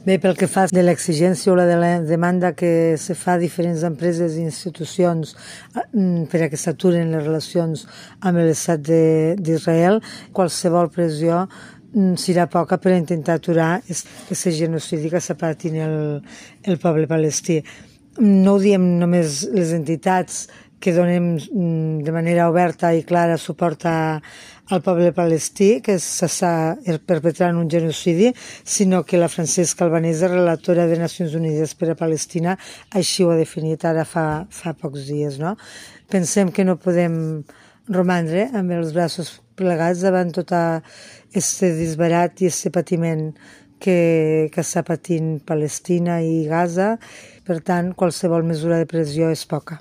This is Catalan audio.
Bé, pel que fa de l'exigència o de la demanda que se fa a diferents empreses i institucions per a que s'aturen les relacions amb l'Estat d'Israel, qualsevol pressió serà poca per intentar aturar aquest genocidi que està patint el poble palestí. No ho diem només les entitats que donem de manera oberta i clara suport al poble palestí, que s'està perpetrant un genocidi, sinó que la Francesca Albanese, relatora de Nacions Unides per a Palestina, així ho ha definit ara fa pocs dies. No? Pensem que no podem romandre amb els braços plegats davant tot aquest disbarat i aquest patiment que està patint Palestina i Gaza. Per tant, qualsevol mesura de pressió és poca.